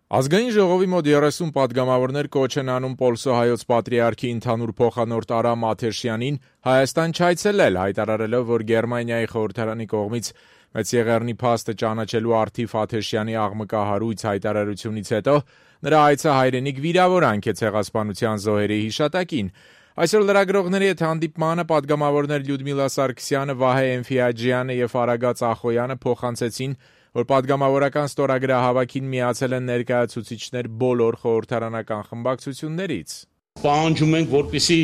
Ազգային ժողովի մոտ 30 պատգամավորներ կոչ են անում Պոլսո հայոց պատրիարքի ընդհանուր փոխանորդ Արամ Աթեշյանին Հայաստան չայցելել, հայտարարելով, որ Գերմանիայի խորհրդարանի կողմից Մեծ Եղեռնի փաստը ճանաչելու առթիվ Աթեշյանի աղմկահարույց հայտարարությունից հետո նրա այցը հայրենիք վիրավորանք է ցեղասպանության զոհերի հիշատակին։ Այսօր լրագրողների հետ հանդիպմանը պատգամավորներ Լյուդմիլա Սարգսյանը, Վահե Էնֆիաջյանը եւ Արագած Ախոյանը փոխանցեցին, որ պատգամավորական ստորագրահավաքին միացել են ներկայացուցիչներ բոլոր խորհրդարանական խմբակցություններից։ Պահանջում ենք, որպեսզի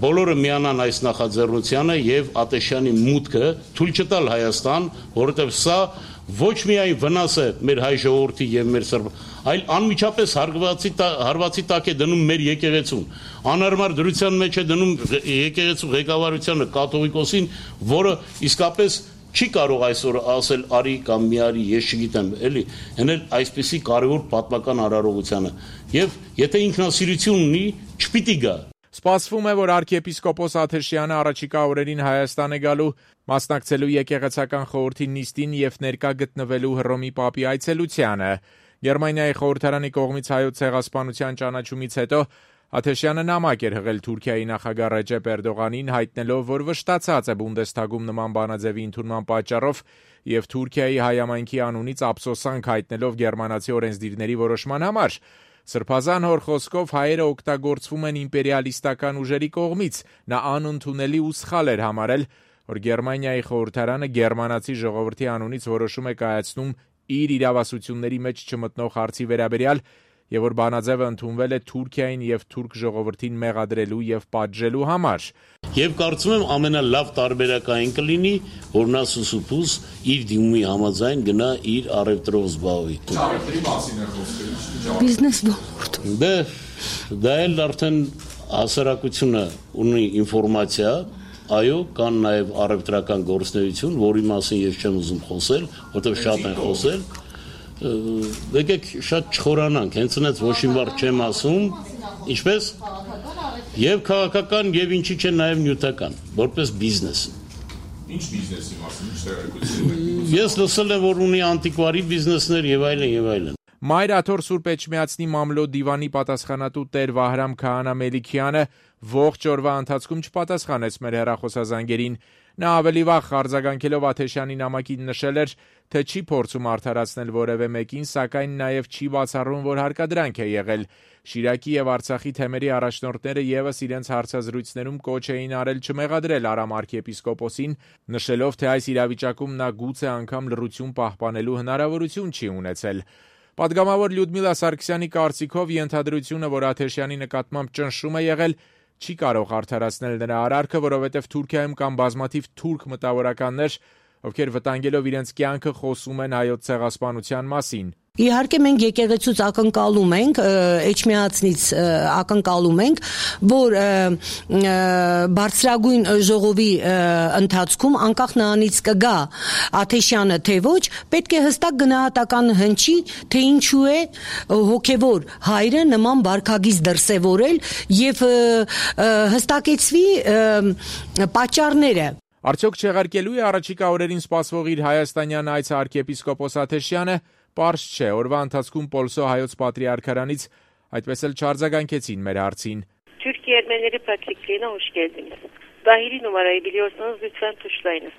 բոլորը միանան այս նախաձեռնությանը եւ Աթեշյանի մուտքը թույլ չտալ Հայաստան, որովհետեւ սա ոչ միայն վնաս է մեր հայ ժողովրդի եւ մեր սրբ, այլ անմիջապես հարվածի տակ է դնում մեր եկեղեցուն։ Անհարմար դրության մեջ է դնում եկեղեցու ղեկավարությանը կաթողիկոսին, որը իսկապես չի կարող այսօր ասել արի կամ մի արի, ես չգիտեմ, էլի, հենց այսպեսի կարևոր պատմական արարողությանը։ Եվ եթե ինքնասիրություն ունի, չպիտի գա։ Սպասվում է, որ arczepiskopos Աթեշյանը առաջիկա օրերին Հայաստան է գալու, մասնակցելու եկեղեցական խորհրդի նիստին եւ ներկա գտնվելու Հռոմի Պապի այցելությանը։ Գերմանիայի խորհրդարանի կողմից հայոց ցեղասպանության ճանաչումից հետո Աթեշյանը նամակ էր հղել Թուրքիայի նախագահ Ռեջեփ Էրդողանին, հայտնելով, որ վշտացած է Բունդեսթագում նման բանաձևի ընդունման պատճառով եւ Թուրքիայի հայամայնքի անունից ափսոսանք հայտնելով գերմանացի օրենսդիրների որոշման համար։ Սրբազան հոր խոսքով հայերը օգտագործվում են իմպերիալիստական ուժերի կողմից։ Նա անընդունելի ու սխալ էր համարել, որ Գերմանիայի խորհրդարանը գերմանացի ժողովրդի անունից որոշում է կայացնում իր իրավասությունների մեջ չմտնող հարցի վերաբերյալ եւ որ բանաձևը ընդունվել է Թուրքիային եւ թուրք ժողովրդին մեղադրելու եւ պատժելու համար։ Եվ կարծում եմ ամենալավ տարբերակային կլինի, որ նա սուսուփուս իր դիմումի համաձայն գնա իր առևտրով զբաղվի։ Առևտրի մասին է խոսքը։ Բիզնես ոլորտում։ Դա էլ արդեն հասարակությունը ունի ինֆորմացիա, այո, կան նաեւ առևտրական գործունեություն, որի մասին ես չեմ ուզում խոսել, որովհետեւ շատ են խոսել։ Եկեք շատ չխորանանք, հենց այնց ոչ մի բառ չեմ ասում, ինչպես եւ քաղաքական եւ ինչի՞ չէ նաեւ նյութական, որպես բիզնես։ Ինչ բիզնեսի մասին, ինչ տեղեկություն։ Ես լսել եմ, որ ունի անտիկվարի բիզնեսներ եւ այլն եւ այլն։ Մայր աթոռ Սուրբ Էջմիածնի մամլո դիվանի պատասխանատու Տեր Վահրամ Քահանա Մելիքյանը ողջ օրվա ընթացքում չպատասխանեց մեր հեռախոսազանգերին։ Նա ավելի վաղ արձագանքելով Աթեշյանի նամակին նշել էր, թե չի փորձում արդարացնել որևէ մեկին, սակայն նաև չի բացառում, որ հարկադրանք է եղել։ Շիրակի եւ Արցախի թեմերի առաջնորդները եւս իրենց հարցազրույցներում կոչ էին արել չմեղադրել Արամ arczepiskoposին, նշելով, թե այս իրավիճակում նա գուցե անգամ լռություն պահպանելու հնարավորություն չի ունեցել։ Պատգամավոր Լյուդմիլա Սարգսյանի կարծիքով ենթադրությունը, որ Աթեշյանի նկատմամբ ճնշում է եղել, չի կարող արդարացնել նրա արարքը, որովհետև Թուրքիայում կան բազմաթիվ թուրք մտավորականներ, ովքեր վտանգելով իրենց կյանքը խոսում են հայոց ցեղասպանության մասին։ Իհարկե մենք եկեղեցուց ակնկալում ենք, Էջմիածնից ակնկալում ենք, որ բարձրագույն ժողովի ընթացքում անկախ նրանից կգա Աթեշյանը թե ոչ, պետք է հստակ գնահատական հնչի, թե ինչու է հոգևոր հայրը նման վարքագիծ դրսևորել եւ հստակեցվի պատճառները։ Արդյոք չեղարկելու է առաջիկա օրերին սպասվող իր հայաստանյան այցը arczepiskopos Աթեշյանը, պարզ չէ, օրվա ընթացքում Պոլսո հայոց պատրիարքարանից այդպես էլ չարձագանքեցին մեր հարցին։ Türkiye Ermenileri Patrikliğine hoş geldiniz. Dahili numarayı biliyorsanız lütfen tuşlayınız.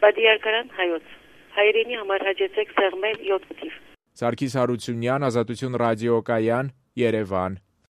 Patriarkaran hayot. Հայրենի համար հաջեցեք սեղմել 7 տիվ։ Սարգիս Հարությունյան, Ազատություն ռադիոկայան, Երևան։